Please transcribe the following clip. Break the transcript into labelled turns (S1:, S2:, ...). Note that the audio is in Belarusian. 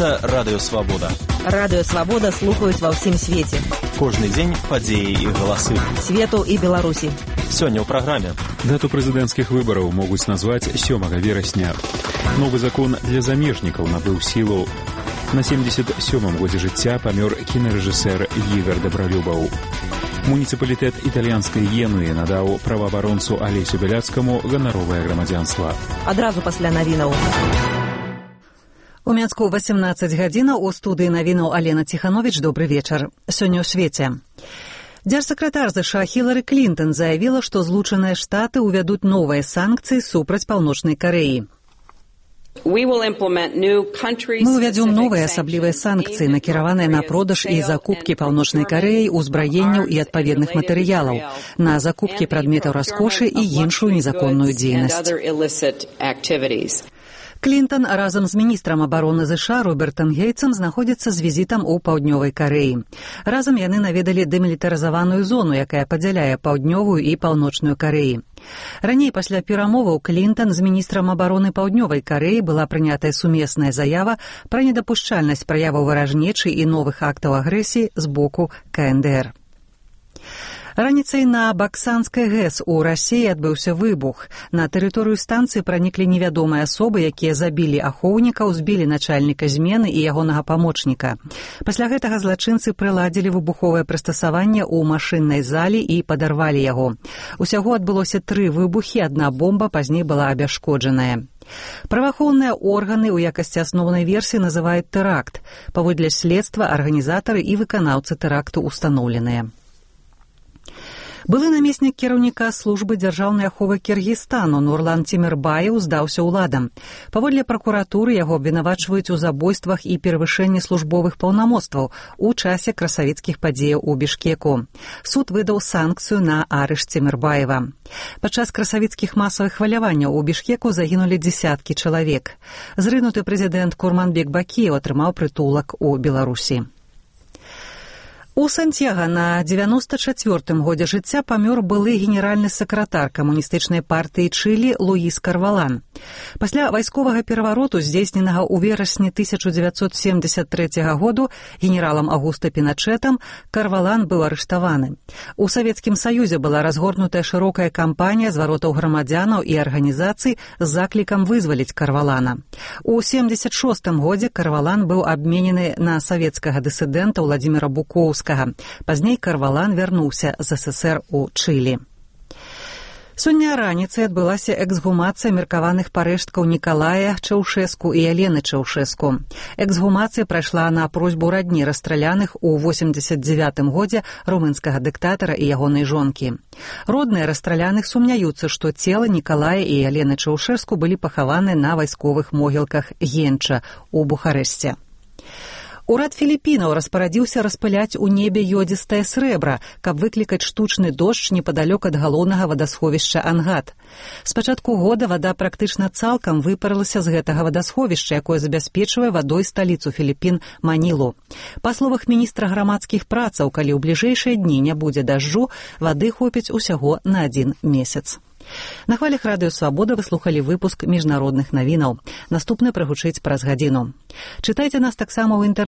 S1: Гэта Радыё Свабода.
S2: Радыё Свабода слухаюць ва ўсім свеце.
S1: Кожны дзень падзеі і галасы.
S2: Свету і Беларусі.
S1: Сёння ў праграме.
S3: Дату прэзідэнцкіх выбараў могуць назваць 7 верасня. Новы закон для замежнікаў набыў сілу. На 77-м годзе жыцця памёр кінарэжысэр Ігар Дабралюбаў. Муніцыпалітэт італьянскай Генуі надаў праваабаронцу Алесю Бяляцкаму ганаровае грамадзянства.
S2: Адразу пасля навінаў. У Мінску 18 гадзінаў у студыі навінаў Алена Ціхановіч. Добры вечар. Сёння ў свеце. Дзяржсакратар США Хілары Клінтон заявіла, што Злучаныя Штаты ўвядуць новыя санкцыі супраць Паўночнай Карэі. Мы ўвядзём новыя асаблівыя санкцыі, накіраваныя на продаж і закупкі Паўночнай Карэі узбраенняў і адпаведных матэрыялаў, на закупкі прадметаў раскошы і іншую незаконную дзейнасць. Клінтон разам з міністрам абароны США Робертам Гейтсам знаходзіцца з візітам у Паўднёвай Карэі. Разам яны наведалі дэмілітарызаваную зону, якая падзяляе Паўднёвую і Паўночную Карэі. Раней пасля перамоваў Клінтон з міністрам абароны Паўднёвай Карэі была прынятая сумесная заява пра недапушчальнасць праяваў варажнечы і новых актаў агрэсіі з боку КНДР. Раніцай на Баксанскай ГЭС у Расіі адбыўся выбух. На тэрыторыю станцыі праніклі невядомыя асобы, якія забілі ахоўнікаў, збілі начальніка змены і ягонага памочніка. Пасля гэтага злачынцы прыладзілі выбуховае прыстасаванне ў машыннай залі і падарвалі яго. Усяго адбылося 3 выбухі, адна бомба пазней была абясшкоджаная. Праваахоўныя органы ў якасці асноўнай версіі называюць тэракт. Паводле следства арганізатары і выканаўцы тэракту ўстаноўленыя. Былы намеснік кіраўніка службы дзяржаўнай аховы Кіргізстану Нурлан Тимирбаев здаўся ўладам. Паводле пракуратуры яго абвінавачваюць у забойствах і перавышэнні службовых паўнамоцтваў у часе красавіцкіх падзеяў у Бішкеку. Суд выдаў санкцыю на арышт Тимирбаева. Падчас красавіцкіх масавых хваляванняў у Бішкеку загінулі дзесяткі чалавек. Зрынуты прэзідэнт Курманбек Бакіев атрымаў прытулак у Беларусі. У Сантьяга на 94-м годзе жыцця памёр былы генеральны сакратар камуністычнай партыі Чылі Луіс Карвалан. Пасля вайсковага перавароту, здзейсненага ў верасні 1973 году генералам Агуста Піначэтам, Карвалан быў арыштаваны. У Савецкім Саюзе была разгорнутая шырокая кампанія зваротаў грамадзянаў і арганізацый з заклікам вызваліць Карвалана. У 76-м годзе Карвалан быў абменены на савецкага дысідэнта Владзіміра Буковскага. Пазней Карвалан вярнуўся з СССР у Чылі. Сёння раніцай адбылася эксгумацыя меркаваных парэшткаў Нікалая Чаўшэску і Алены Чаўшэску. Эксгумацыя прайшла на просьбу радні расстраляных у 89-м годзе румынскага дыктатара і ягонай жонкі. Родныя расстраляных сумняюцца, што цела Нікалая і Алены Чаўшэску былі пахаваны на вайсковых могілках Генча у Бухарэсце. Урад Філіпінаў распарадзіўся распыляць у небе ёдзістае срэбра, каб выклікаць штучны дождж непадалёк ад галоўнага вадасховішча Ангат. З пачатку года вада практычна цалкам выпарылася з гэтага вадасховішча, якое забяспечвае вадой сталіцу Філіпін Манілу. Па словах міністра грамадскіх працаў, калі ў бліжэйшыя дні не будзе дажджу, вады хопіць усяго на 1 месяц. На хвалях Радыё Свабода вы слухалі выпуск міжнародных навінаў. Наступны прагучыць праз гадзіну. Чытайце нас таксама ў інтэрнэце.